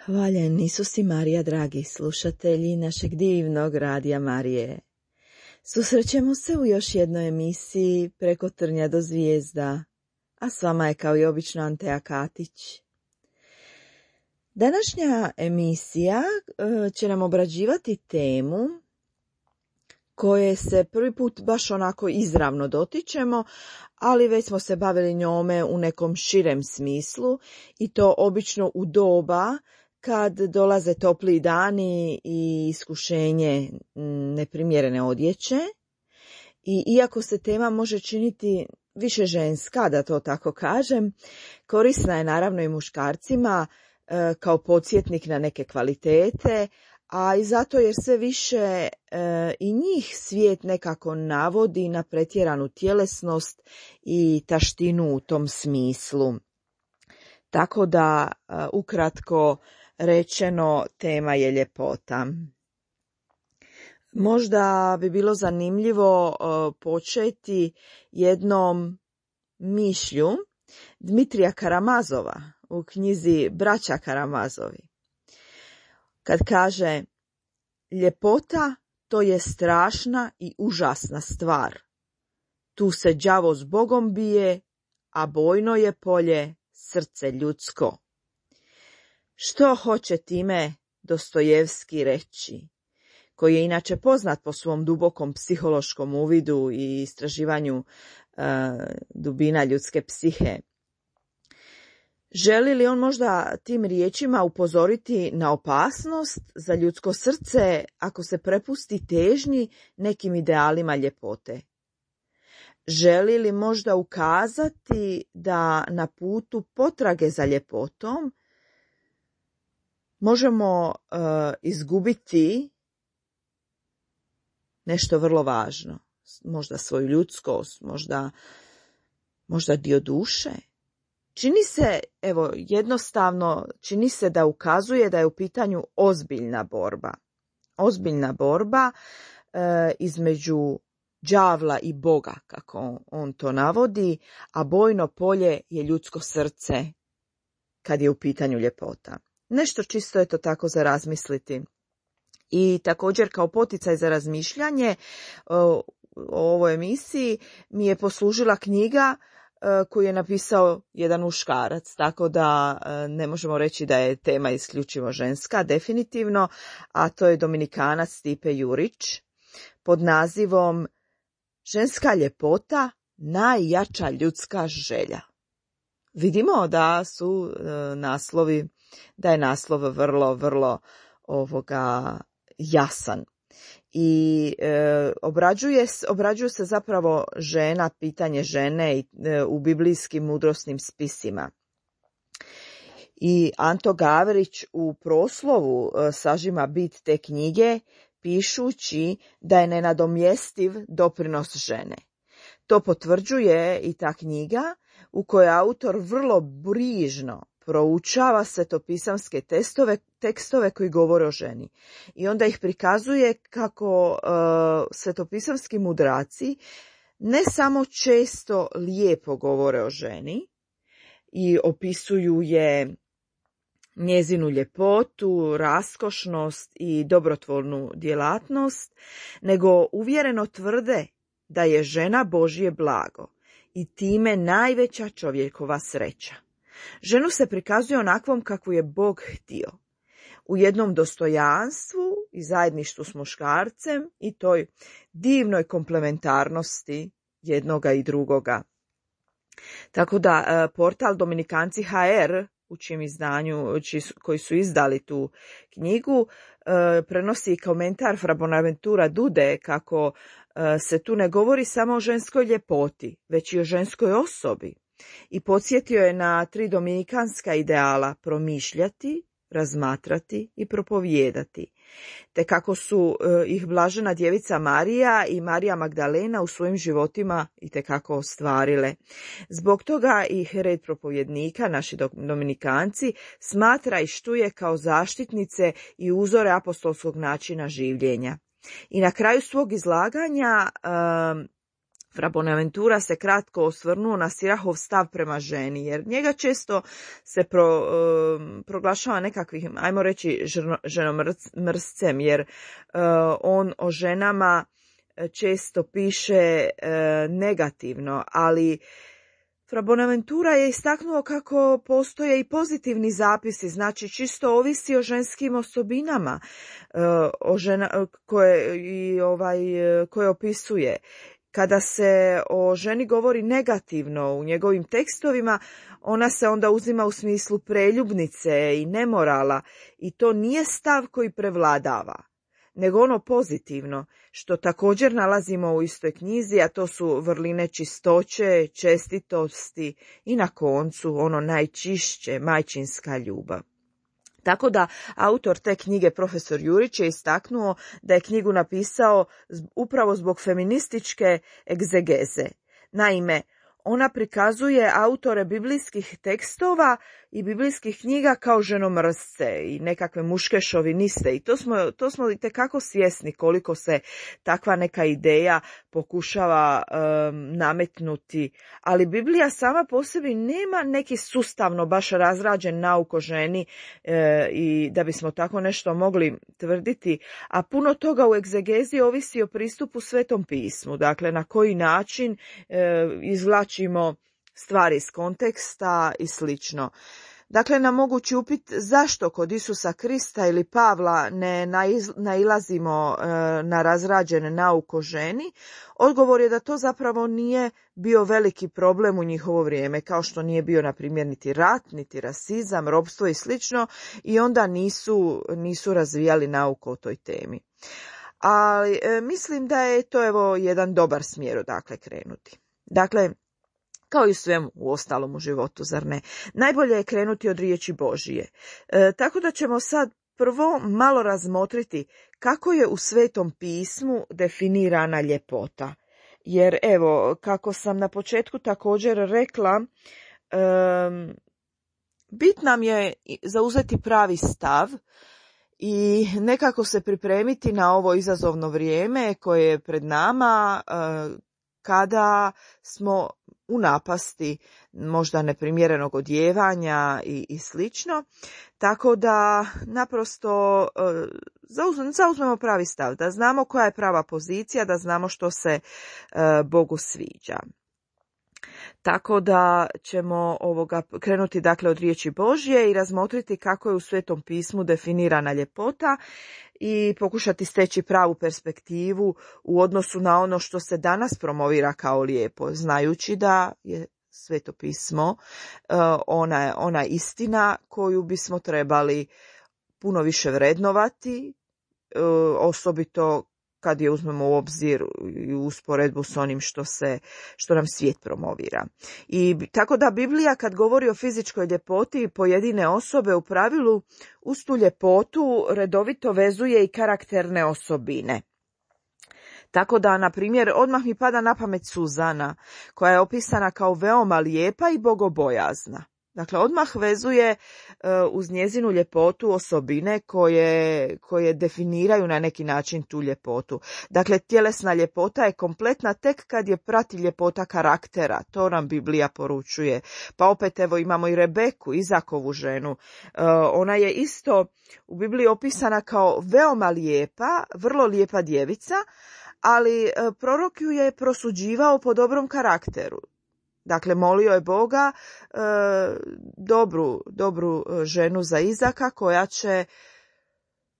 Hvaljen Isus i Marija, dragi slušatelji našeg divnog Radija Marije. Susrećemo se u još jednoj emisiji Preko trnja do zvijezda, a s vama je kao i obično Antea Katić. Današnja emisija će nam obrađivati temu koje se prvi put baš onako izravno dotičemo, ali već smo se bavili njome u nekom širem smislu i to obično u doba kad dolaze topliji dani i iskušenje neprimjerene odjeće. I iako se tema može činiti više ženska, da to tako kažem, korisna je naravno i muškarcima kao podsjetnik na neke kvalitete, a i zato jer sve više i njih svijet nekako navodi na pretjeranu tjelesnost i taštinu u tom smislu. Tako da, ukratko rečeno, tema je ljepota. Možda bi bilo zanimljivo početi jednom mišlju Dmitrija Karamazova u knjizi Braća Karamazovi. Kad kaže: ljepota to je strašna i užasna stvar. Tu se đavo s Bogom bije, a bojno je polje srce ljudsko. Što hoće time Dostojevski reći, koji je inače poznat po svom dubokom psihološkom uvidu i istraživanju dubina ljudske psihe? Želi li on možda tim riječima upozoriti na opasnost za ljudsko srce ako se prepusti težnji nekim idealima ljepote? Želi li možda ukazati da na putu potrage za ljepotom možemo izgubiti nešto vrlo važno, možda svoju ljudskost, možda dio duše? Čini se, evo, jednostavno, čini se da ukazuje da je u pitanju ozbiljna borba. Ozbiljna borba između đavla i Boga, kako on to navodi, a bojno polje je ljudsko srce kad je u pitanju ljepota. Nešto čisto je to tako za razmisliti. I također kao poticaj za razmišljanje o ovoj emisiji mi je poslužila knjiga koju je napisao jedan muškarac, tako da ne možemo reći da je tema isključivo ženska, definitivno, a to je Dominikanac Stipe Jurić pod nazivom Ženska ljepota, najjača ljudska želja. Vidimo da su naslovi, da je naslov vrlo jasan. I obrađuje se zapravo žena, pitanje žene u biblijskim mudrosnim spisima. I Anto Gavrić u proslovu sažima bit te knjige pišući da je nenadomjestiv doprinos žene. To potvrđuje i ta knjiga u kojoj autor vrlo brižno proučava svetopisamske tekstove koji govore o ženi. I onda ih prikazuje kako svetopisamski mudraci ne samo često lijepo govore o ženi i opisuju je njezinu ljepotu, raskošnost i dobrotvornu djelatnost, nego uvjereno tvrde da je žena Božje blago i time najveća čovjekova sreća. Ženu se prikazuje onakvom kakvu je Bog htio, u jednom dostojanstvu i zajedništvu s muškarcem i toj divnoj komplementarnosti jednoga i drugoga. Tako da portal Dominikanci HR, u čijem izdanju, koji su izdali tu knjigu, prenosi komentar Fra Bonaventura Dude kako se tu ne govori samo o ženskoj ljepoti, već i o ženskoj osobi. I podsjetio je na 3 dominikanska ideala: promišljati, razmatrati i propovijedati, te kako su ih blažena djevica Marija i Marija Magdalena u svojim životima itekako ostvarile. Zbog toga ih red propovjednika, naši dominikanci, smatra i štuje kao zaštitnice i uzore apostolskog načina življenja. I na kraju svog izlaganja Fra Bonaventura se kratko osvrnuo na Sirahov stav prema ženi, jer njega često se proglašava nekakvim, ajmo reći, ženomrscem, jer on o ženama često piše negativno, ali Fra Bonaventura je istaknuo kako postoje i pozitivni zapisi, znači čisto ovisi o ženskim osobinama koje opisuje. Kada se o ženi govori negativno u njegovim tekstovima, ona se onda uzima u smislu preljubnice i nemorala i to nije stav koji prevladava, nego ono pozitivno, što također nalazimo u istoj knjizi, a to su vrline čistoće, čestitosti i na koncu ono najčišće, majčinska ljubav. Tako da autor te knjige, profesor Jurić, je istaknuo da je knjigu napisao upravo zbog feminističke egzegeze. Naime, ona prikazuje autore biblijskih tekstova i biblijskih knjiga kao ženomrsce i nekakve muške šoviniste i to smo itekako svjesni koliko se takva neka ideja pokušava nametnuti, ali Biblija sama po sebi nema neki sustavno baš razrađen nauk o ženi i da bismo tako nešto mogli tvrditi, a puno toga u egzegezi ovisi o pristupu Svetom pismu, dakle na koji način izvlačimo stvari iz konteksta i slično. Dakle, na mogući upit zašto kod Isusa Krista ili Pavla ne nailazimo na razrađen nauk o ženi, odgovor je da to zapravo nije bio veliki problem u njihovo vrijeme, kao što nije bio, na primjer, niti rat, niti rasizam, ropstvo i slično, i onda nisu razvijali nauk o toj temi. Ali mislim da je to jedan dobar smjer odakle krenuti. Dakle, kao i svemu u ostalom u životu, zar ne? Najbolje je krenuti od riječi Božije. Tako da ćemo sad prvo malo razmotriti kako je u Svetom pismu definirana ljepota. Jer evo, kako sam na početku također rekla, bit nam je zauzeti pravi stav i nekako se pripremiti na ovo izazovno vrijeme koje je pred nama, kada smo u napasti možda neprimjerenog odijevanja i slično, tako da naprosto zauzmemo pravi stav, da znamo koja je prava pozicija, da znamo što se Bogu sviđa. Tako da ćemo krenuti dakle od riječi Božje i razmotriti kako je u Svetom pismu definirana ljepota i pokušati steći pravu perspektivu u odnosu na ono što se danas promovira kao lijepo, znajući da je Sveto pismo ona istina koju bismo trebali puno više vrednovati, osobito kad je uzmemo u obzir i usporedbu s onim što nam svijet promovira. I tako da Biblija kad govori o fizičkoj ljepoti pojedine osobe, u pravilu uz tu ljepotu redovito vezuje i karakterne osobine. Tako da, na primjer, odmah mi pada na pamet Suzana, koja je opisana kao veoma lijepa i bogobojazna. Dakle, odmah vezuje uz njezinu ljepotu osobine koje definiraju na neki način tu ljepotu. Dakle, tjelesna ljepota je kompletna tek kad je prati ljepota karaktera. To nam Biblija poručuje. Pa opet evo imamo i Rebeku, Izakovu ženu. Ona je isto u Bibliji opisana kao veoma lijepa, vrlo lijepa djevica, ali prorok ju je prosuđivao po dobrom karakteru. Dakle, molio je Boga dobru ženu za Izaka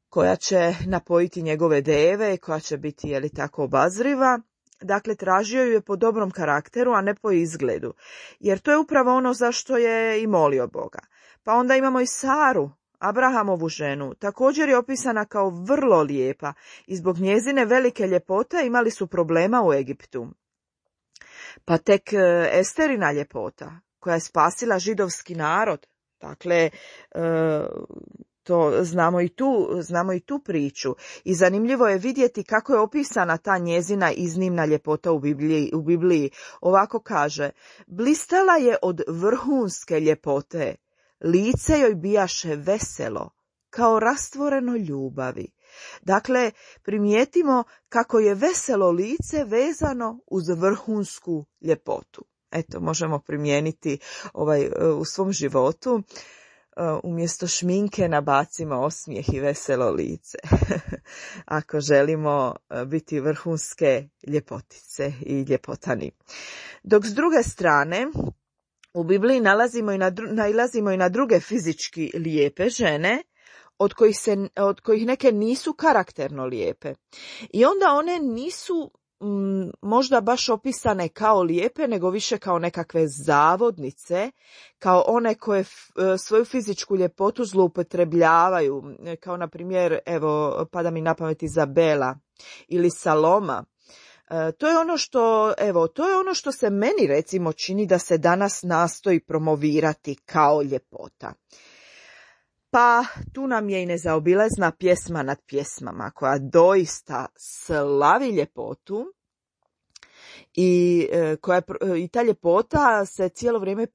koja će napojiti njegove deve, koja će biti tako obazriva. Dakle, tražio ju je po dobrom karakteru, a ne po izgledu. Jer to je upravo ono zašto je i molio Boga. Pa onda imamo i Saru, Abrahamovu ženu. Također je opisana kao vrlo lijepa i zbog njezine velike ljepote imali su problema u Egiptu. Pa tek Esterina ljepota, koja je spasila židovski narod. Dakle, to znamo i tu priču. I zanimljivo je vidjeti kako je opisana ta njezina iznimna ljepota u Bibliji. Ovako kaže: blistala je od vrhunske ljepote, lice joj bijaše veselo, kao rastvoreno ljubavi. Dakle, primijetimo kako je veselo lice vezano uz vrhunsku ljepotu. Eto, možemo primijeniti u svom životu. Umjesto šminke nabacimo osmijeh i veselo lice. Ako želimo biti vrhunske ljepotice i ljepotani. Dok s druge strane, u Bibliji nailazimo i na druge fizički lijepe žene, od kojih neke nisu karakterno lijepe. I onda one nisu možda baš opisane kao lijepe, nego više kao nekakve zavodnice, kao one koje svoju fizičku ljepotu zloupotrebljavaju, kao na primjer, evo, pada mi na pamet Izabela ili Saloma. To je ono što se meni recimo čini da se danas nastoji promovirati kao ljepota. Pa tu nam je i nezaobilazna pjesma nad pjesmama koja doista slavi ljepotu i ta ljepota se cijelo vrijeme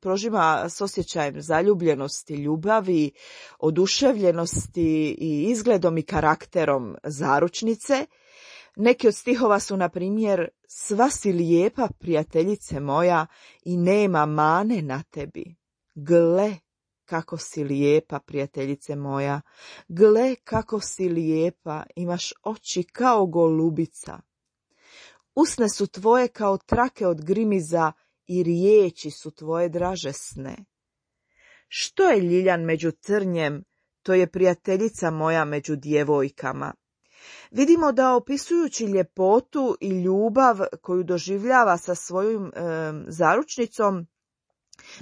prožima s osjećajem zaljubljenosti, ljubavi, oduševljenosti i izgledom i karakterom zaručnice. Neki od stihova su, na primjer, sva si lijepa, prijateljice moja, i nema mane na tebi. Gle kako si lijepa, prijateljice moja. Gle kako si lijepa, imaš oči kao golubica. Usne su tvoje kao trake od grimiza i riječi su tvoje dražesne. Što je ljiljan među trnjem, to je prijateljica moja među djevojkama. Vidimo da opisujući ljepotu i ljubav koju doživljava sa svojim zaručnicom,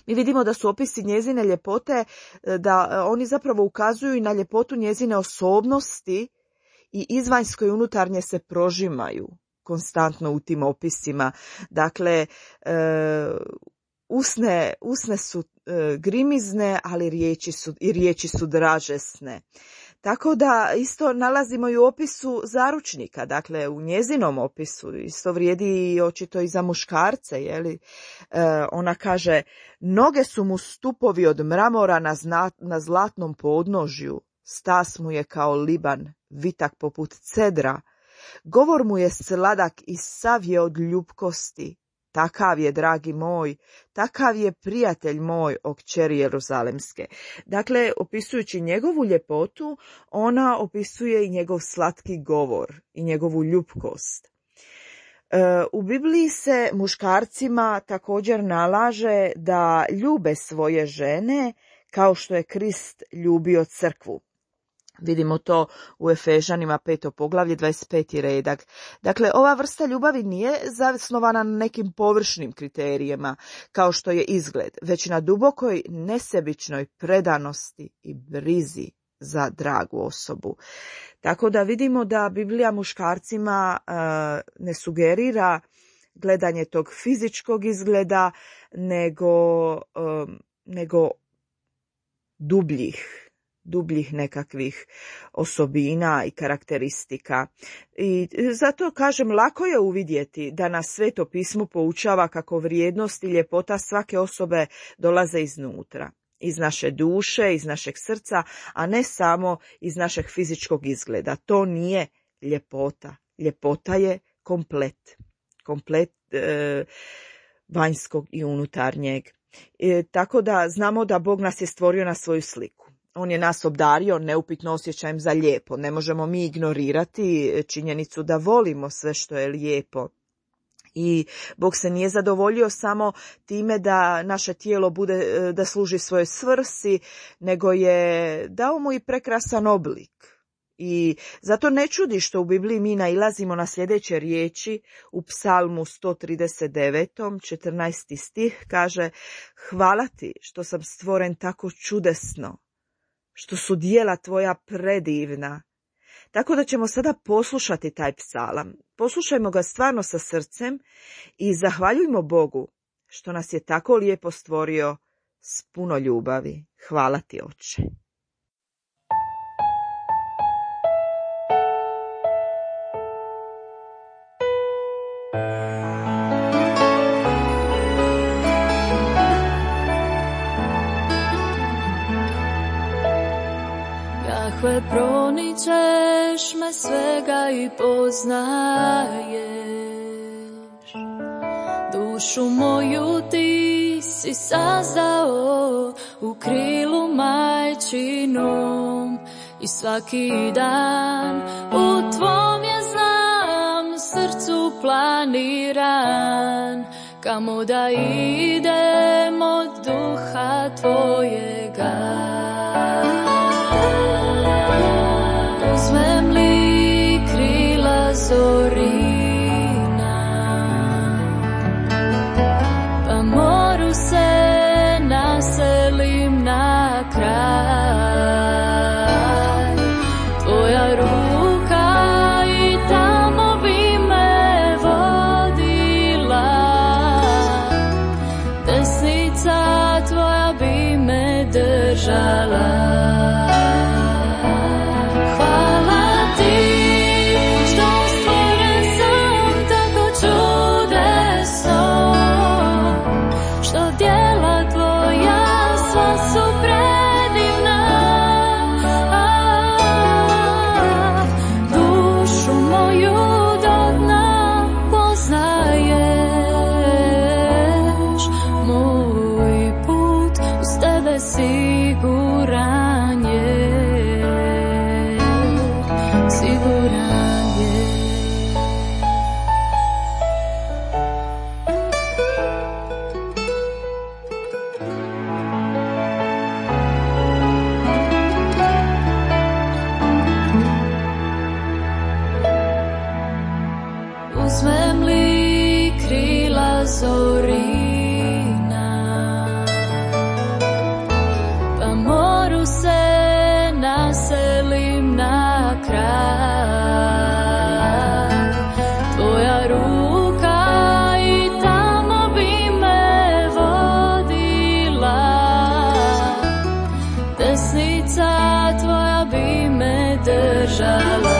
mi vidimo da su opisi njezine ljepote, da oni zapravo ukazuju i na ljepotu njezine osobnosti i izvanjsko i unutarnje se prožimaju konstantno u tim opisima. Dakle, usne su grimizne, ali riječi su dražesne. Tako da isto nalazimo i u opisu zaručnika, dakle u njezinom opisu, isto vrijedi i očito i za muškarce, ona kaže, noge su mu stupovi od mramora na zlatnom podnožju, stas mu je kao liban, vitak poput cedra, govor mu je sladak i sav je od ljubkosti. Takav je, dragi moj, takav je prijatelj moj, o kćeri Jeruzalemske. Dakle, opisujući njegovu ljepotu, ona opisuje i njegov slatki govor i njegovu ljubkost. U Bibliji se muškarcima također nalaže da ljube svoje žene kao što je Krist ljubio crkvu. Vidimo to u Efežanima 5. poglavlje 25. redak. Dakle, ova vrsta ljubavi nije zasnovana na nekim površnim kriterijima, kao što je izgled, već na dubokoj nesebičnoj predanosti i brizi za dragu osobu. Tako da vidimo da Biblija muškarcima ne sugerira gledanje tog fizičkog izgleda, nego dubljih nekakvih osobina i karakteristika. I zato kažem, lako je uvidjeti da nas Sveto pismo poučava kako vrijednost i ljepota svake osobe dolaze iznutra, iz naše duše, iz našeg srca, a ne samo iz našeg fizičkog izgleda. To nije ljepota. Ljepota je komplet vanjskog i unutarnjeg. Tako da znamo da Bog nas je stvorio na svoju sliku. On je nas obdario neupitno osjećajem za lijepo. Ne možemo mi ignorirati činjenicu da volimo sve što je lijepo. I Bog se nije zadovoljio samo time da naše tijelo da služi svojoj svrsi, nego je dao mu i prekrasan oblik. I zato ne čudi što u Bibliji mi nailazimo na sljedeće riječi u Psalmu 139. 14. stih kaže: hvala ti što sam stvoren tako čudesno, što su djela tvoja predivna. Tako da ćemo sada poslušati taj psalam. Poslušajmo ga stvarno sa srcem i zahvaljujmo Bogu što nas je tako lijepo stvorio s puno ljubavi. Hvala ti, Oče. takve proničeš me svega i poznaješ. Dušu moju ti si sazdao u krilu majčinom i svaki dan u tvom je znam srcu planiran, kamo da idem od duha tvojega. Uzmem li krila zorina, pa moru se naselim na kraj. Tvoja ruka i tamo bi me vodila, desnica tvoja bi me držala. Uzmem li krila zorina, pa moru se naselim na kraj. Tvoja ruka i tamo bi me vodila, desnica tvoja bi me držala.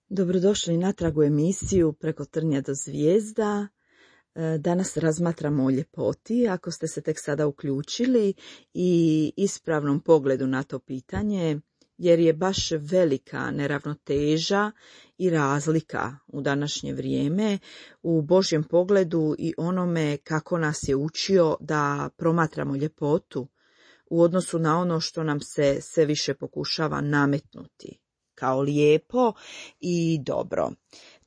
Dobrodošli natrag u emisiju Preko trnja do zvijezda. Danas razmatramo o ljepoti, ako ste se tek sada uključili, i ispravnom pogledu na to pitanje, jer je baš velika neravnoteža i razlika u današnje vrijeme u Božjem pogledu i onome kako nas je učio da promatramo ljepotu u odnosu na ono što nam se sve više pokušava nametnuti kao lijepo i dobro.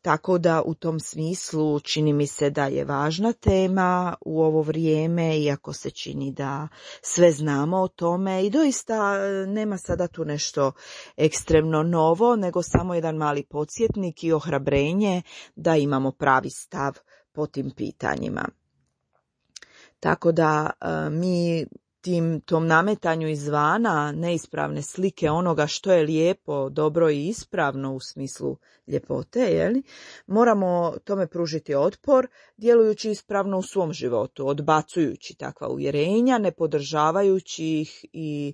Tako da u tom smislu čini mi se da je važna tema u ovo vrijeme, iako se čini da sve znamo o tome i doista nema sada tu nešto ekstremno novo, nego samo jedan mali podsjetnik i ohrabrenje da imamo pravi stav po tim pitanjima. Tako da mi tom nametanju izvana neispravne slike onoga što je lijepo, dobro i ispravno u smislu ljepote, moramo tome pružiti otpor, djelujući ispravno u svom životu, odbacujući takva uvjerenja, ne podržavajući ih i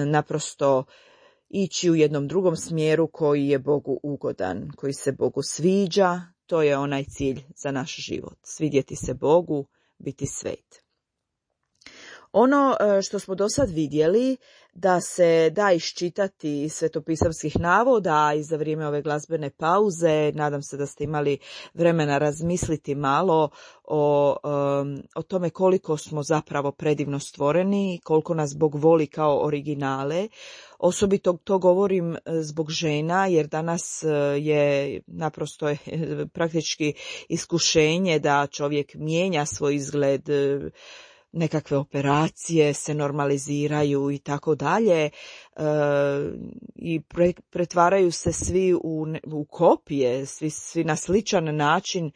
naprosto ići u jednom drugom smjeru koji je Bogu ugodan, koji se Bogu sviđa. To je onaj cilj za naš život. Svidjeti se Bogu, biti svet. Ono što smo do sad vidjeli da se da iščitati iz svetopisamskih navoda i za vrijeme ove glazbene pauze, nadam se da ste imali vremena razmisliti malo o tome koliko smo zapravo predivno stvoreni, koliko nas Bog voli kao originale. Osobito to govorim zbog žena, jer danas je naprosto praktički iskušenje da čovjek mijenja svoj izgled, nekakve operacije se normaliziraju i tako dalje, i pretvaraju se svi u kopije, svi na sličan način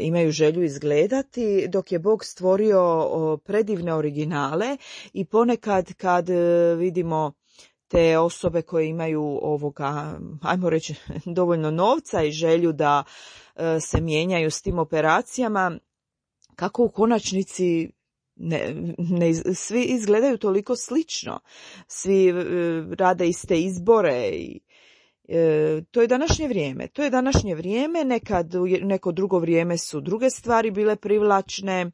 imaju želju izgledati, dok je Bog stvorio predivne originale. I ponekad kad vidimo te osobe koje imaju ajmo reći, dovoljno novca i želju da se mijenjaju s tim operacijama, kako u konačnici svi izgledaju toliko slično, svi rade iste izbore i to je današnje vrijeme. Nekad u neko drugo vrijeme su druge stvari bile privlačne,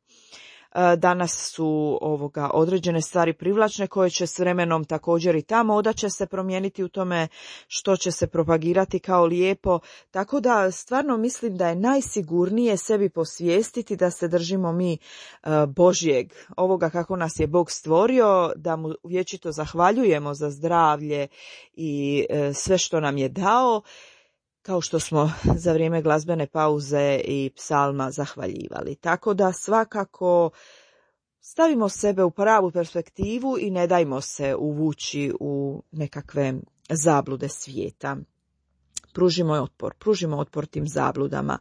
danas su određene stvari privlačne koje će s vremenom također i ta moda će se promijeniti u tome što će se propagirati kao lijepo, tako da stvarno mislim da je najsigurnije sebi posvijestiti da se držimo mi Božjeg, ovoga kako nas je Bog stvorio, da mu vječito zahvaljujemo za zdravlje i sve što nam je dao, kao što smo za vrijeme glazbene pauze i psalma zahvaljivali. Tako da svakako stavimo sebe u pravu perspektivu i ne dajmo se uvući u nekakve zablude svijeta. Pružimo otpor tim zabludama.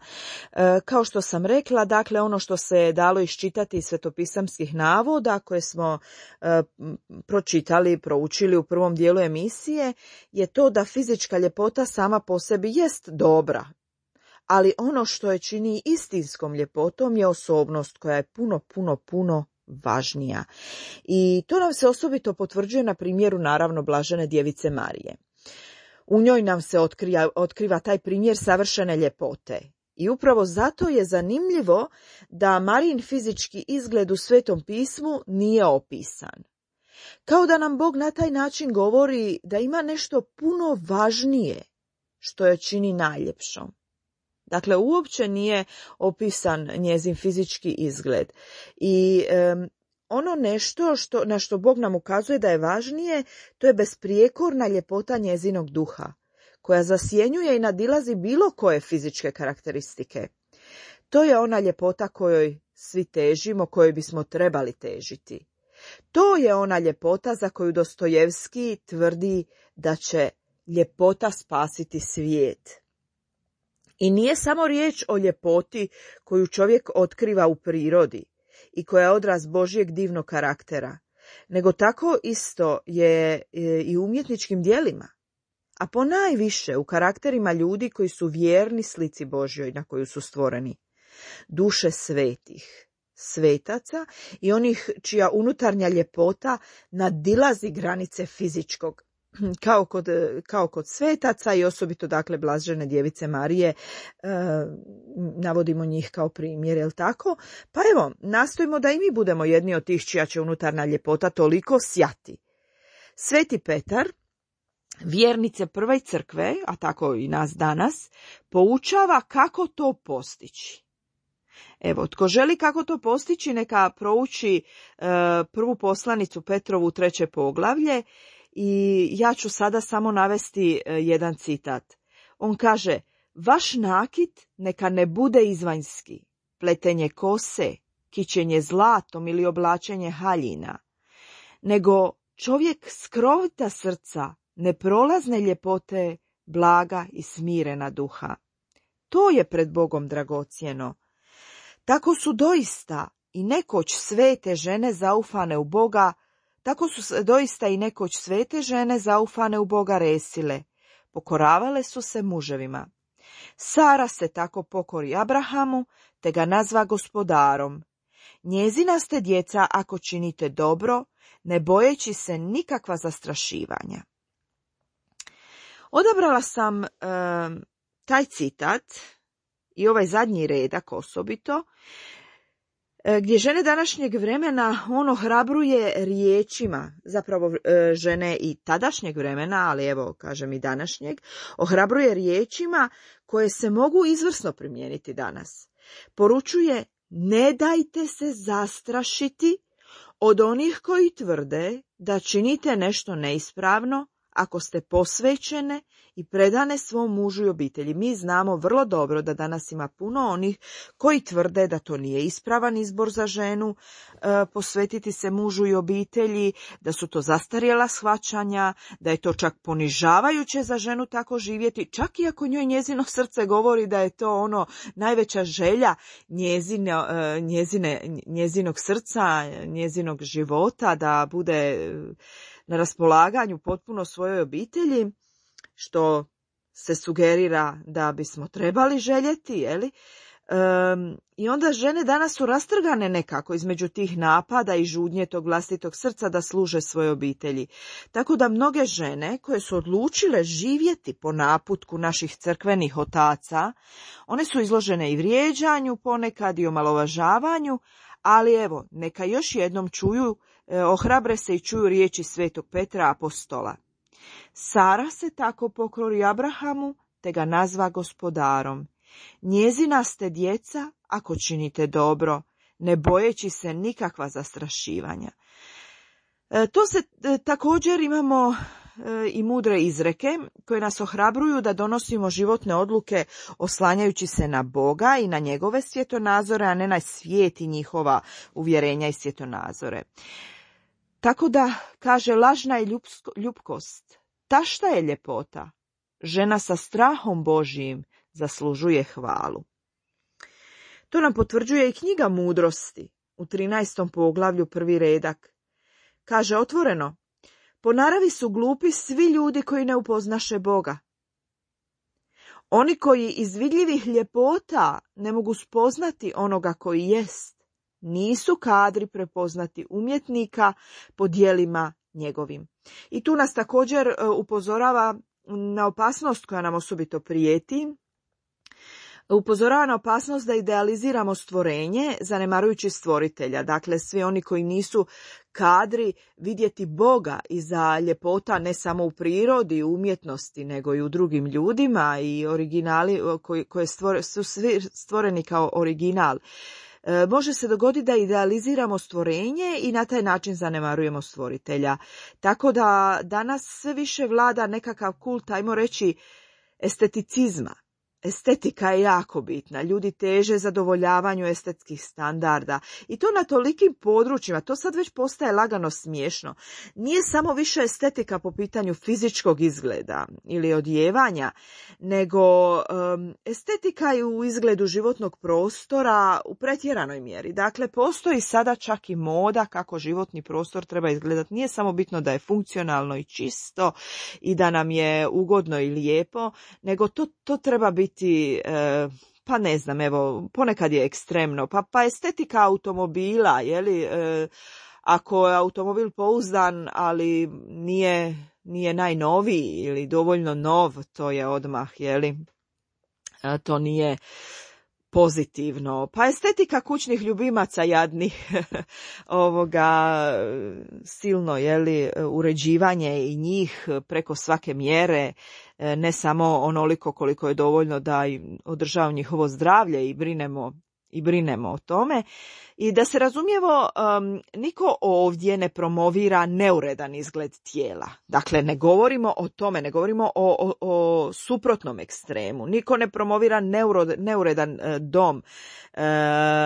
Kao što sam rekla, dakle, ono što se je dalo iščitati iz svetopisamskih navoda koje smo proučili u prvom dijelu emisije, je to da fizička ljepota sama po sebi jest dobra, ali ono što je čini istinskom ljepotom je osobnost koja je puno važnija. I to nam se osobito potvrđuje na primjeru naravno blažene djevice Marije. U njoj nam se otkriva taj primjer savršene ljepote. I upravo zato je zanimljivo da Marijin fizički izgled u Svetom pismu nije opisan. Kao da nam Bog na taj način govori da ima nešto puno važnije što je čini najljepšom. Dakle, uopće nije opisan njezin fizički izgled. I ono nešto na što Bog nam ukazuje da je važnije, to je besprijekorna ljepota njezinog duha, koja zasjenjuje i nadilazi bilo koje fizičke karakteristike. To je ona ljepota kojoj svi težimo, kojoj bismo trebali težiti. To je ona ljepota za koju Dostojevski tvrdi da će ljepota spasiti svijet. I nije samo riječ o ljepoti koju čovjek otkriva u prirodi i koja je odraz Božjeg divnog karaktera, nego tako isto je i u umjetničkim djelima, a ponajviše u karakterima ljudi koji su vjerni slici Božjoj na koju su stvoreni. Duše svetih, svetaca i onih čija unutarnja ljepota nadilazi granice fizičkog, kao kod svetaca i osobito dakle blažene djevice Marije, navodimo njih kao primjer, jel tako? Pa evo, nastojimo da i mi budemo jedni od tih čija će unutarnja ljepota toliko sjati. Sveti Petar, vjernice prve crkve, a tako i nas danas, poučava kako to postići. Evo, tko želi kako to postići, neka prouči prvu poslanicu Petrovu 3. poglavlje i ja ću sada samo navesti jedan citat. On kaže: vaš nakit neka ne bude izvanjski, pletenje kose, kićenje zlatom ili oblačenje haljina, nego čovjek skrovita srca, neprolazne ljepote, blaga i smirena duha. To je pred Bogom dragocjeno. Tako su doista i nekoć svete žene zaufane u Boga, tako su se doista i nekoć svete žene zaufane u Boga resile. Pokoravale su se muževima. Sara se tako pokori Abrahamu, te ga nazva gospodarom. Njezina ste djeca ako činite dobro, ne bojeći se nikakva zastrašivanja. Odabrala sam taj citat i ovaj zadnji redak osobito, gdje žene današnjeg vremena ohrabruje riječima, zapravo žene i tadašnjeg vremena, ali evo kažem i današnjeg, ohrabruje riječima koje se mogu izvrsno primijeniti danas. Poručuje: ne dajte se zastrašiti od onih koji tvrde da činite nešto neispravno ako ste posvećene i predane svom mužu i obitelji. Mi znamo vrlo dobro da danas ima puno onih koji tvrde da to nije ispravan izbor za ženu, posvetiti se mužu i obitelji, da su to zastarjela shvaćanja, da je to čak ponižavajuće za ženu tako živjeti, čak i ako njoj njezino srce govori da je to najveća želja njezinog srca, njezinog života, da bude na raspolaganju potpuno svojoj obitelji, što se sugerira da bismo trebali željeti, jeli? I onda žene danas su rastrgane nekako između tih napada i žudnje tog vlastitog srca da služe svojoj obitelji. Tako da mnoge žene koje su odlučile živjeti po naputku naših crkvenih otaca, one su izložene i vrijeđanju, ponekad i omalovažavanju, ali evo, neka još jednom čuju, ohrabre se i čuju riječi svetog Petra apostola. Sara se tako pokori Abrahamu, te ga nazva gospodarom. Njezina ste djeca ako činite dobro, ne bojeći se nikakva zastrašivanja. To se također imamo i mudre izreke koje nas ohrabruju da donosimo životne odluke oslanjajući se na Boga i na njegove svjetonazore, a ne na svijet i njihova uvjerenja i svjetonazore. Tako da, kaže, lažna je ljupkost, tašta je ljepota, žena sa strahom Božijim zaslužuje hvalu. To nam potvrđuje i knjiga Mudrosti u 13. poglavlju 1. redak. Kaže otvoreno: po naravi su glupi svi ljudi koji ne upoznaše Boga. Oni koji iz vidljivih ljepota ne mogu spoznati onoga koji jest, nisu kadri prepoznati umjetnika po djelima njegovim. I tu nas također upozorava na opasnost koja nam osobito prijeti. Upozorava na opasnost da idealiziramo stvorenje, zanemarujući stvoritelja. Dakle, svi oni koji nisu kadri vidjeti Boga iza ljepota ne samo u prirodi, u umjetnosti, nego i u drugim ljudima i originali koje su svi stvoreni kao original. Može se dogoditi da idealiziramo stvorenje i na taj način zanemarujemo stvoritelja. Tako da danas sve više vlada nekakav kult, ajmo reći, esteticizma. Estetika je jako bitna, ljudi teže zadovoljavanju estetskih standarda i to na tolikim područjima, to sad već postaje lagano smiješno. Nije samo više estetika po pitanju fizičkog izgleda ili odjevanja, nego estetika je u izgledu životnog prostora u pretjeranoj mjeri. Dakle, postoji sada čak i moda kako životni prostor treba izgledati. Nije samo bitno da je funkcionalno i čisto i da nam je ugodno i lijepo, nego to treba biti pa ne znam, evo, ponekad je ekstremno, pa estetika automobila, ako je automobil pouzdan, ali nije najnoviji ili dovoljno nov, to je odmah, to nije pozitivno. Pa estetika kućnih ljubimaca jadnih, silno, uređivanje i njih preko svake mjere, ne samo onoliko koliko je dovoljno da održava njihovo zdravlje i brinemo o tome. I da se razumijemo, niko ovdje ne promovira neuredan izgled tijela. Dakle, ne govorimo o tome, ne govorimo o suprotnom ekstremu. Niko ne promovira neuredan dom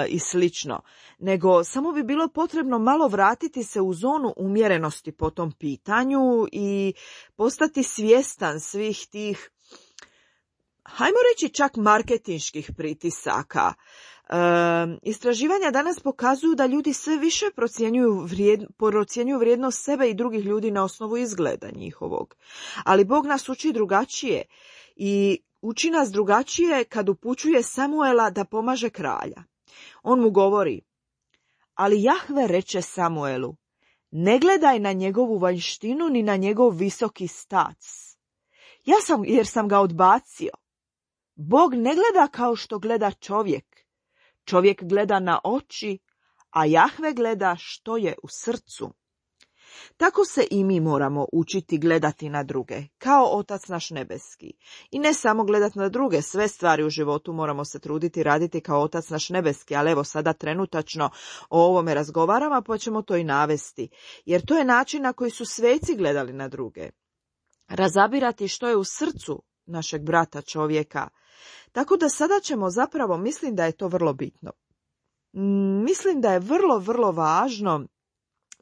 i slično. Nego samo bi bilo potrebno malo vratiti se u zonu umjerenosti po tom pitanju i postati svjestan svih tih hajmo reći čak marketinških pritisaka. Istraživanja danas pokazuju da ljudi sve više procjenjuju vrijednost sebe i drugih ljudi na osnovu izgleda njihovog. Ali Bog nas uči drugačije i uči nas drugačije kad upućuje Samuela da pomaže kralja. On mu govori: ali Jahve reče Samuelu, ne gledaj na njegovu vanjštinu ni na njegov visoki stac. Jer sam ga odbacio. Bog ne gleda kao što gleda čovjek. Čovjek gleda na oči, a Jahve gleda što je u srcu. Tako se i mi moramo učiti gledati na druge, kao Otac naš nebeski. I ne samo gledati na druge, sve stvari u životu moramo se truditi raditi kao Otac naš nebeski, ali evo sada trenutačno o ovome razgovaramo, pa ćemo to i navesti. Jer to je način na koji su sveci gledali na druge. Razabirati što je u srcu našeg brata čovjeka. Tako da sada ćemo zapravo, mislim da je to vrlo bitno. Mislim da je vrlo, vrlo važno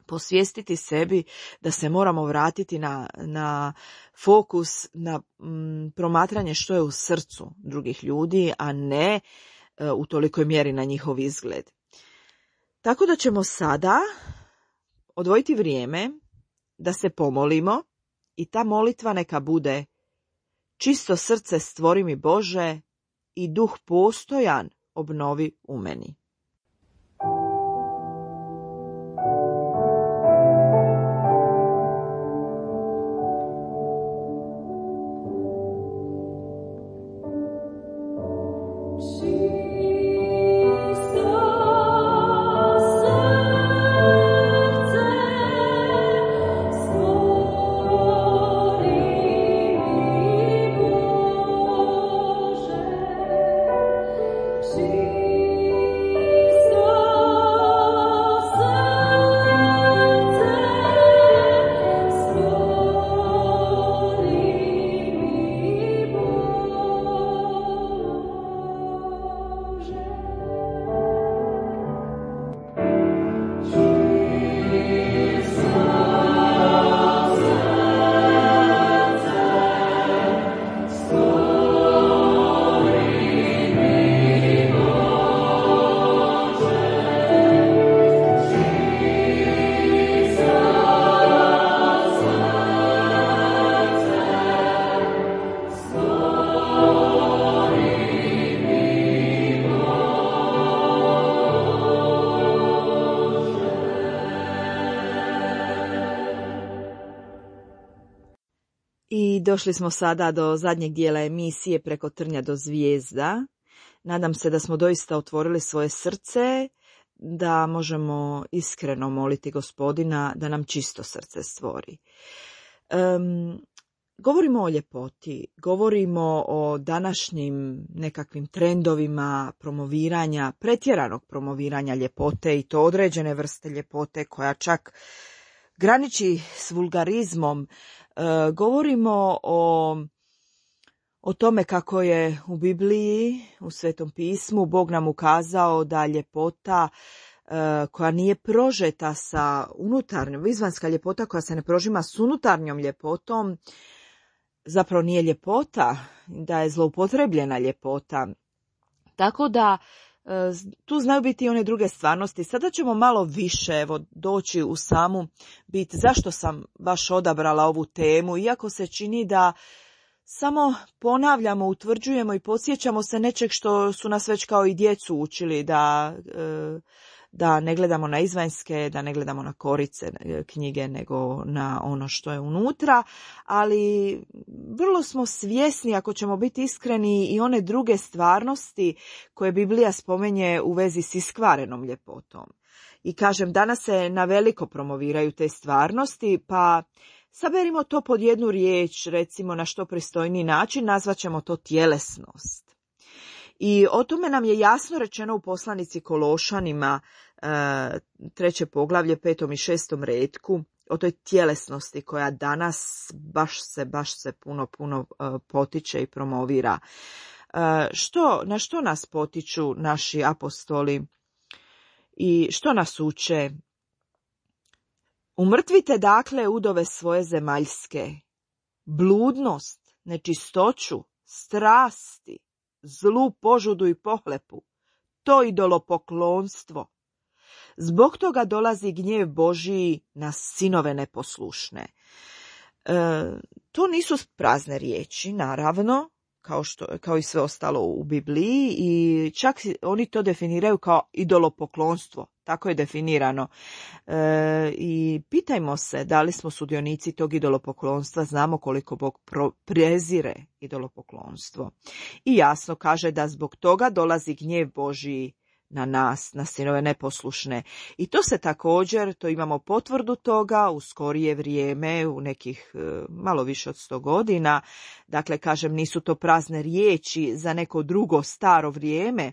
posvijestiti sebi da se moramo vratiti na fokus, na promatranje što je u srcu drugih ljudi, a ne u tolikoj mjeri na njihov izgled. Tako da ćemo sada odvojiti vrijeme da se pomolimo i ta molitva neka bude: čisto srce stvori mi Bože i duh postojan obnovi u meni. I došli smo sada do zadnjeg dijela emisije Preko trnja do zvijezda. Nadam se da smo doista otvorili svoje srce, da možemo iskreno moliti Gospodina da nam čisto srce stvori. Govorimo o ljepoti, govorimo o današnjim nekakvim trendovima promoviranja, pretjeranog promoviranja ljepote i to određene vrste ljepote koja čak graniči s vulgarizmom. Govorimo o tome kako je u Bibliji, u Svetom pismu, Bog nam ukazao da ljepota koja nije prožeta sa unutarnjom, izvanjska ljepota koja se ne prožima s unutarnjom ljepotom, zapravo nije ljepota, da je zloupotrebljena ljepota. Tako da tu znaju biti i one druge stvarnosti. Sada ćemo malo više doći u samu bit zašto sam baš odabrala ovu temu, iako se čini da samo ponavljamo, utvrđujemo i podsjećamo se nečeg što su nas već kao i djecu učili, da ne gledamo na izvanjske, da ne gledamo na korice knjige, nego na ono što je unutra, ali vrlo smo svjesni, ako ćemo biti iskreni, i one druge stvarnosti koje Biblija spomenje u vezi s iskvarenom ljepotom. I kažem, danas se na veliko promoviraju te stvarnosti, pa saberimo to pod jednu riječ, recimo na što pristojniji način, nazvaćemo to tjelesnost. I o tome nam je jasno rečeno u poslanici Kološanima, 3. poglavlje, 5. i 6. retku, o toj tjelesnosti koja danas baš se puno potiče i promovira. Na što nas potiču naši apostoli i što nas uče? Umrtvite dakle udove svoje zemaljske, bludnost, nečistoću, strasti, zlu požudu i pohlepu, to idolopoklonstvo. Zbog toga dolazi gnjev Božiji na sinove neposlušne. To nisu prazne riječi, naravno, kao i sve ostalo u Bibliji, i čak oni to definiraju kao idolopoklonstvo. Tako je definirano. I pitajmo se da li smo sudionici tog idolopoklonstva, znamo koliko Bog prezire idolopoklonstvo. I jasno kaže da zbog toga dolazi gnjev Božiji na nas, na sinove neposlušne. I to se također, to imamo potvrdu toga u skorije vrijeme, u nekih malo više od 100 godina. Dakle, kažem, nisu to prazne riječi za neko drugo staro vrijeme.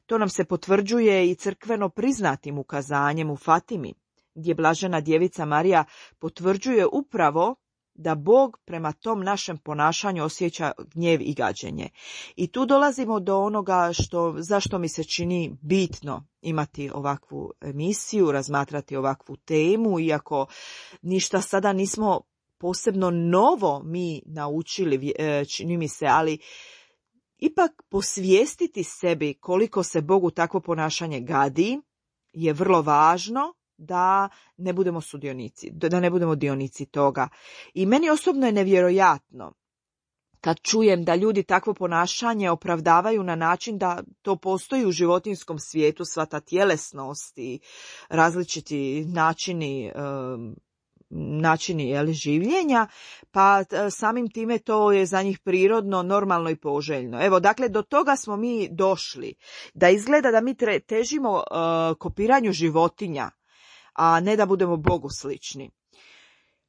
To nam se potvrđuje i crkveno priznatim ukazanjem u Fatimi, gdje blažena djevica Marija potvrđuje upravo da Bog prema tom našem ponašanju osjeća gnjev i gađenje. I tu dolazimo do onoga zašto mi se čini bitno imati ovakvu emisiju, razmatrati ovakvu temu, iako ništa sada nismo posebno novo mi naučili, čini mi se, ali ipak posvijestiti sebi koliko se Bogu takvo ponašanje gadi je vrlo važno, da ne budemo sudionici, da ne budemo dionici toga. I meni osobno je nevjerojatno kad čujem da ljudi takvo ponašanje opravdavaju na način da to postoji u životinjskom svijetu, sva ta tjelesnost i različiti načini življenja, pa samim time to je za njih prirodno, normalno i poželjno. Evo, dakle, do toga smo mi došli, da izgleda da mi težimo kopiranju životinja, a ne da budemo Bogu slični.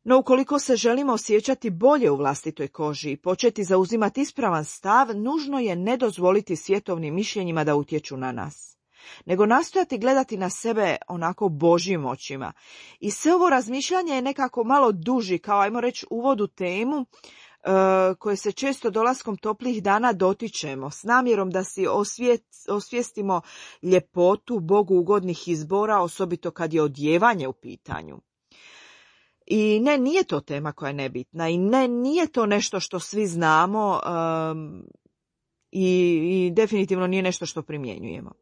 No, ukoliko se želimo osjećati bolje u vlastitoj koži i početi zauzimati ispravan stav, nužno je ne dozvoliti svjetovnim mišljenjima da utječu na nas, nego nastojati gledati na sebe onako Božjim očima. I sve ovo razmišljanje je nekako malo duži, kao ajmo reći uvod u temu koje se često dolaskom toplih dana dotičemo, s namjerom da si osvijestimo ljepotu Bogu ugodnih izbora, osobito kad je odjevanje u pitanju. I ne, nije to tema koja je nebitna i nije to nešto što svi znamo i definitivno nije nešto što primjenjujemo.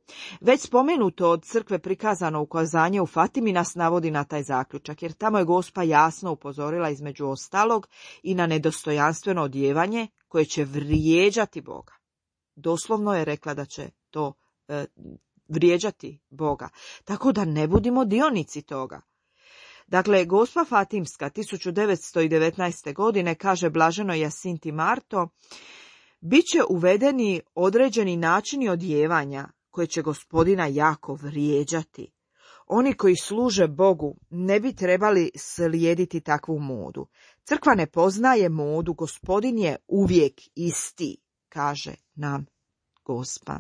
Već spomenuto od crkve prikazano ukazanje u Fatimi nas navodi na taj zaključak, jer tamo je Gospa jasno upozorila između ostalog i na nedostojanstveno odjevanje koje će vrijeđati Boga. Doslovno je rekla da će to vrijeđati Boga, tako da ne budimo dionici toga. Dakle, Gospa Fatimska 1919. godine kaže blaženoj Jacinti Marto: biće uvedeni određeni načini odjevanja koje će Gospodina jako vrijeđati. Oni koji služe Bogu ne bi trebali slijediti takvu modu. Crkva ne poznaje modu, Gospodin je uvijek isti, kaže nam Gospa.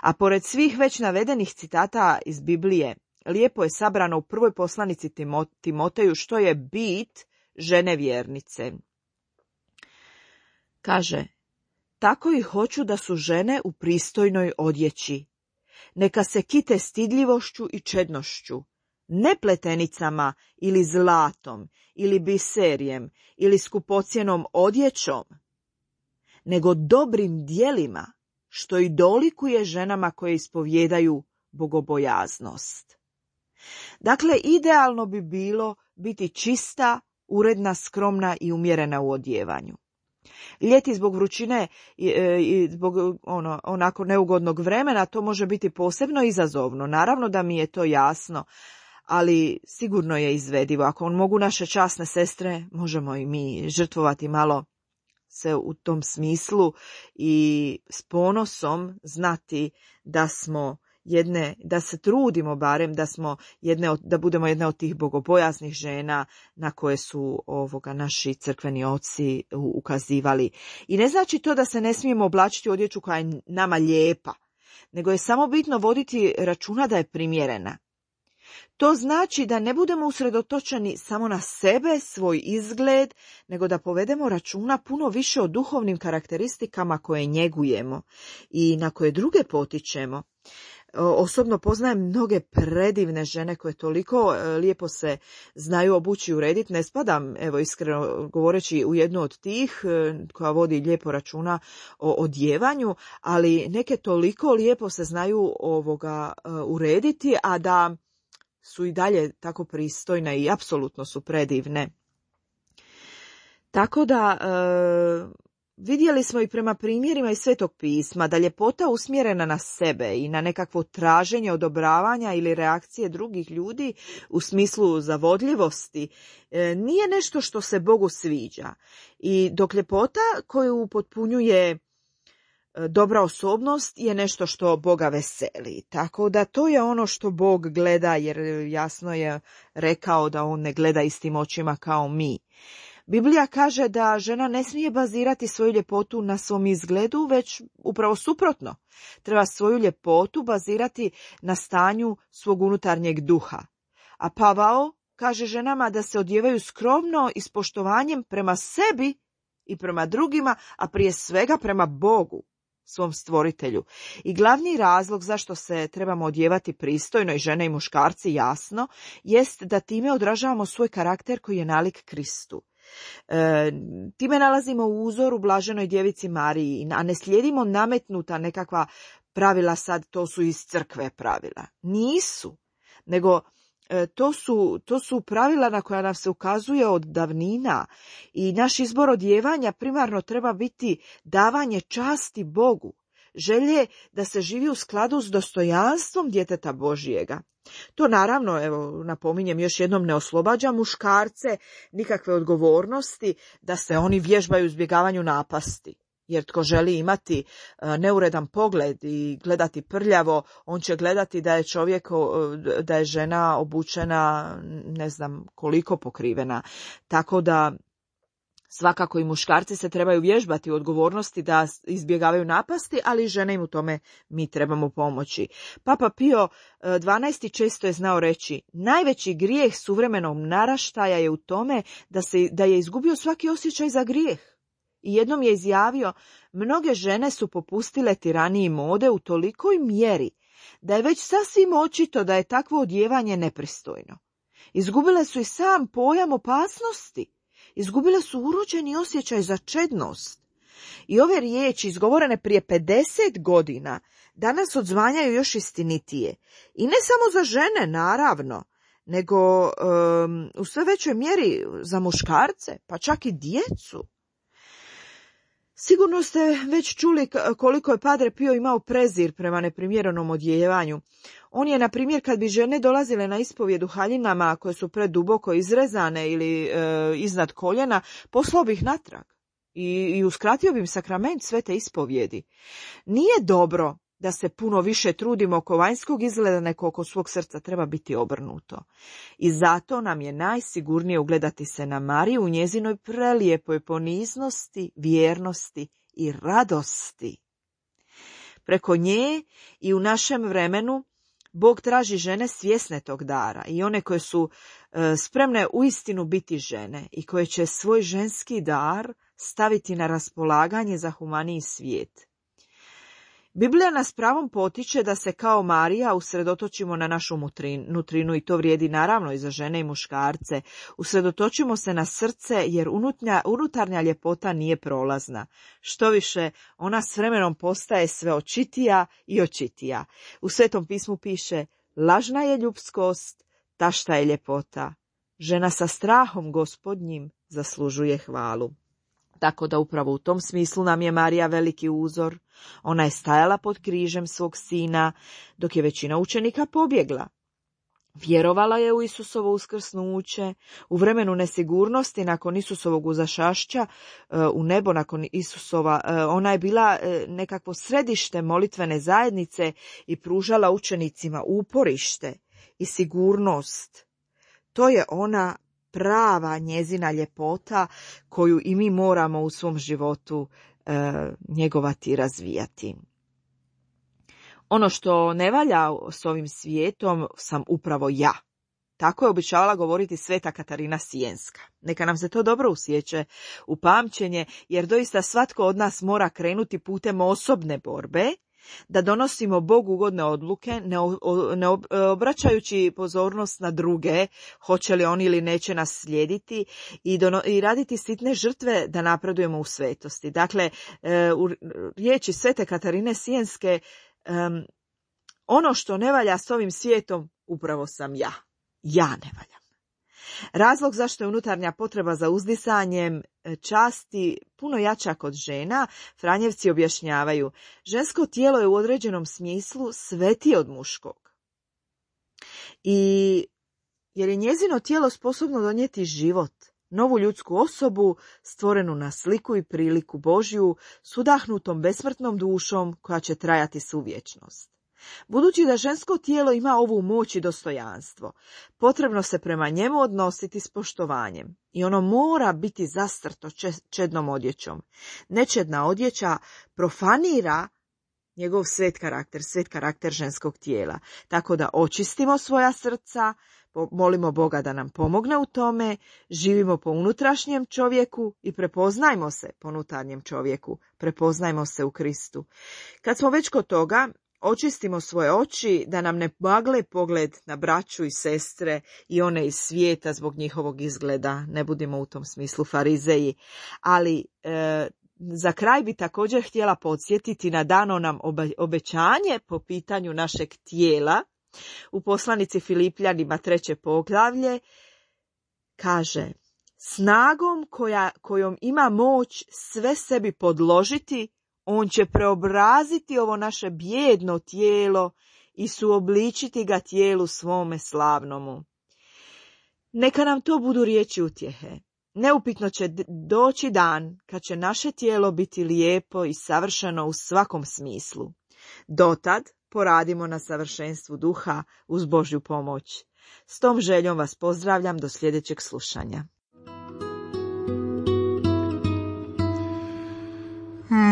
A pored svih već navedenih citata iz Biblije, lijepo je sabrano u prvoj poslanici Timoteju što je bit žene vjernice. Kaže: tako i hoću da su žene u pristojnoj odjeći. Neka se kite stidljivošću i čednošću, ne pletenicama ili zlatom ili biserijem ili skupocjenom odjećom, nego dobrim djelima, što i dolikuje ženama koje ispovjedaju bogobojaznost. Dakle, idealno bi bilo biti čista, uredna, skromna i umjerena u odjevanju. Ljeti zbog vrućine i zbog onako neugodnog vremena to može biti posebno izazovno. Naravno da mi je to jasno, ali sigurno je izvedivo. Ako mogu naše časne sestre, možemo i mi žrtvovati malo se u tom smislu i s ponosom znati da smo da se trudimo barem da budemo jedne od tih bogobojaznih žena na koje su naši crkveni oci ukazivali. I ne znači to da se ne smijemo oblačiti odjeću koja je nama lijepa, nego je samo bitno voditi računa da je primjerena. To znači da ne budemo usredotočeni samo na sebe, svoj izgled, nego da povedemo računa puno više o duhovnim karakteristikama koje njegujemo i na koje druge potičemo. Osobno poznajem mnoge predivne žene koje toliko lijepo se znaju obući i urediti. Ne spadam, evo iskreno govoreći, u jednu od tih koja vodi lijepo računa o odjevanju, ali neke toliko lijepo se znaju urediti, a da su i dalje tako pristojne i apsolutno su predivne. Tako da vidjeli smo i prema primjerima iz Svetog pisma da ljepota usmjerena na sebe i na nekakvo traženje odobravanja ili reakcije drugih ljudi u smislu zavodljivosti nije nešto što se Bogu sviđa. I dok ljepota koju upotpunjuje dobra osobnost je nešto što Boga veseli. Tako da to je ono što Bog gleda, jer jasno je rekao da on ne gleda istim očima kao mi. Biblija kaže da žena ne smije bazirati svoju ljepotu na svom izgledu, već upravo suprotno. Treba svoju ljepotu bazirati na stanju svog unutarnjeg duha. A Pavao kaže ženama da se odjevaju skromno i s poštovanjem prema sebi i prema drugima, a prije svega prema Bogu, svom stvoritelju. I glavni razlog zašto se trebamo odjevati pristojno, i žene i muškarci jasno, jest da time odražavamo svoj karakter koji je nalik Kristu. Time nalazimo uzor u blaženoj djevici Mariji, a ne slijedimo nametnuta nekakva pravila, sad to su iz crkve pravila. Nisu, nego to su pravila na koja nam se ukazuje od davnina, i naš izbor odjevanja primarno treba biti davanje časti Bogu, želje da se živi u skladu s dostojanstvom djeteta Božjega. To naravno, evo napominjem još jednom, ne oslobađa muškarce nikakve odgovornosti da se oni vježbaju u izbjegavanju napasti. Jer tko želi imati neuredan pogled i gledati prljavo, on će gledati da je žena obučena ne znam koliko pokrivena. Tako da svakako i muškarci se trebaju vježbati u odgovornosti da izbjegavaju napasti, ali i žene im u tome mi trebamo pomoći. Papa Pio XII često je znao reći: najveći grijeh suvremenog naraštaja je u tome da je izgubio svaki osjećaj za grijeh. I jednom je izjavio: mnoge žene su popustile tiraniji mode u tolikoj mjeri da je već sasvim očito da je takvo odjevanje nepristojno. Izgubile su i sam pojam opasnosti. Izgubile su urođeni osjećaj za čednost. I ove riječi, izgovorene prije 50 godina, danas odzvanjaju još istinitije. I ne samo za žene, naravno, nego u sve većoj mjeri za muškarce, pa čak i djecu. Sigurno ste već čuli koliko je Padre Pio imao prezir prema neprimjerenom odjevanju. On je, na primjer, kad bi žene dolazile na ispovjed u haljinama koje su preduboko izrezane ili iznad koljena, poslao bi ih natrag i uskratio bi im sakrament svete ispovjedi. Nije dobro da se puno više trudimo oko vanjskog izgleda nego oko svog srca, treba biti obrnuto. I zato nam je najsigurnije ugledati se na Mariju u njezinoj prelijepoj poniznosti, vjernosti i radosti. Preko nje i u našem vremenu Bog traži žene svjesne tog dara i one koje su spremne uistinu biti žene i koje će svoj ženski dar staviti na raspolaganje za humaniji svijet. Biblija nas pravom potiče da se kao Marija usredotočimo na našu nutrinu, i to vrijedi naravno i za žene i muškarce. Usredotočimo se na srce, jer unutarnja ljepota nije prolazna. Štoviše, ona s vremenom postaje sve očitija i očitija. U Svetom pismu piše: lažna je ljubskost, tašta je ljepota. Žena sa strahom Gospodnjim zaslužuje hvalu. Tako da upravo u tom smislu nam je Marija veliki uzor. Ona je stajala pod križem svog sina, dok je većina učenika pobjegla. Vjerovala je u Isusovo uskrsnuće, u vremenu nesigurnosti nakon Isusovog uzašašća u nebo nakon Isusova. Ona je bila nekakvo središte molitvene zajednice i pružala učenicima uporište i sigurnost. To je ona prava njezina ljepota koju i mi moramo u svom životu njegovati i razvijati. Ono što ne valja s ovim svijetom sam upravo ja. Tako je običavala govoriti sveta Katarina Sijenska. Neka nam se to dobro usjeće u pamćenje, jer doista svatko od nas mora krenuti putem osobne borbe, da donosimo Bogu ugodne odluke, ne obraćajući pozornost na druge, hoće li oni ili neće nas slijediti, i raditi sitne žrtve da napredujemo u svetosti. Dakle, u riječi svete Katarine Sijenske, ono što ne valja s ovim svijetom upravo sam ja. Ja ne valjam. Razlog zašto je unutarnja potreba za uzdisanjem časti puno jača kod žena, Franjevci objašnjavaju, žensko tijelo je u određenom smislu svetije od muškog. I jer je njezino tijelo sposobno donijeti život, novu ljudsku osobu, stvorenu na sliku i priliku Božju, s udahnutom besmrtnom dušom koja će trajati suvječnost. Budući da žensko tijelo ima ovu moć i dostojanstvo, potrebno se prema njemu odnositi s poštovanjem i ono mora biti zastrto čednom odjećom. Nečedna odjeća profanira njegov svet karakter ženskog tijela. Tako da očistimo svoja srca, molimo Boga da nam pomogne u tome, živimo po unutrašnjem čovjeku i prepoznajmo se po unutarnjem čovjeku, prepoznajmo se u Kristu. Kad smo već kod toga, očistimo svoje oči da nam ne magle pogled na braću i sestre i one iz svijeta zbog njihovog izgleda, ne budimo u tom smislu farizeji. Ali za kraj bi također htjela podsjetiti na dano nam obećanje po pitanju našeg tijela. U poslanici Filipljanima 3. poglavlje kaže: snagom kojom ima moć sve sebi podložiti, on će preobraziti ovo naše bijedno tijelo i suobličiti ga tijelu svome slavnomu. Neka nam to budu riječi utjehe. Neupitno će doći dan kad će naše tijelo biti lijepo i savršeno u svakom smislu. Dotad poradimo na savršenstvu duha uz Božju pomoć. S tom željom vas pozdravljam do sljedećeg slušanja.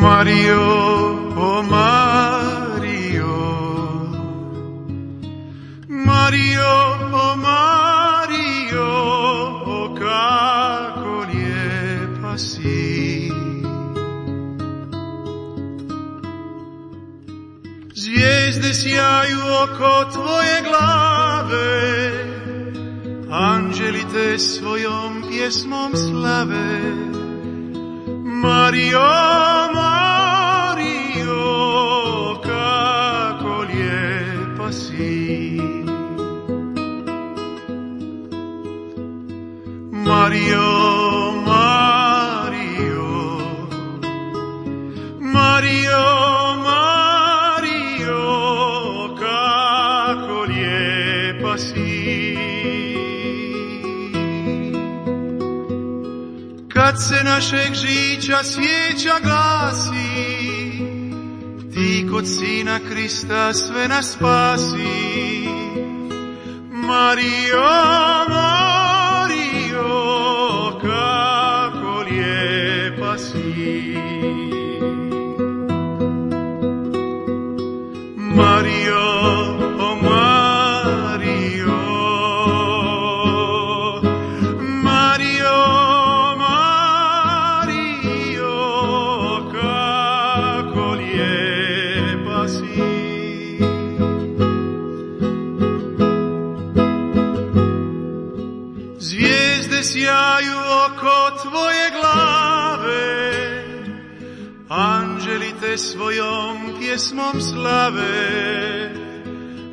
Mario, o Mario, Mario, o Mario, o kako lijepa si. Zvijezde sjaju oko tvoje glave, anđeli te svojom pjesmom slave. Mario, Mario, kako lijepa si. Mario, Mario, Mario, Mario, kako lijepa si. Kad se našeg žića svijeća gasi, ti kod Sina Krista sve nas spasi. Mario, Mario, kako lijepa si. Mario, o Mario, Mario, sjaju oko tvoje glave, anđeli te svojom pjesmom slave.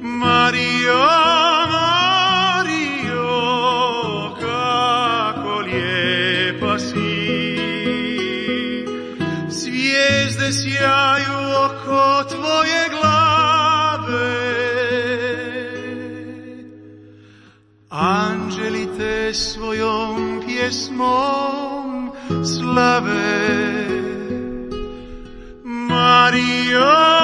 Mario, Mario, kako lijepa si. Zvijezde sjaju oko tvoje glave, anđeli te svojom pjesmom slave. Mario,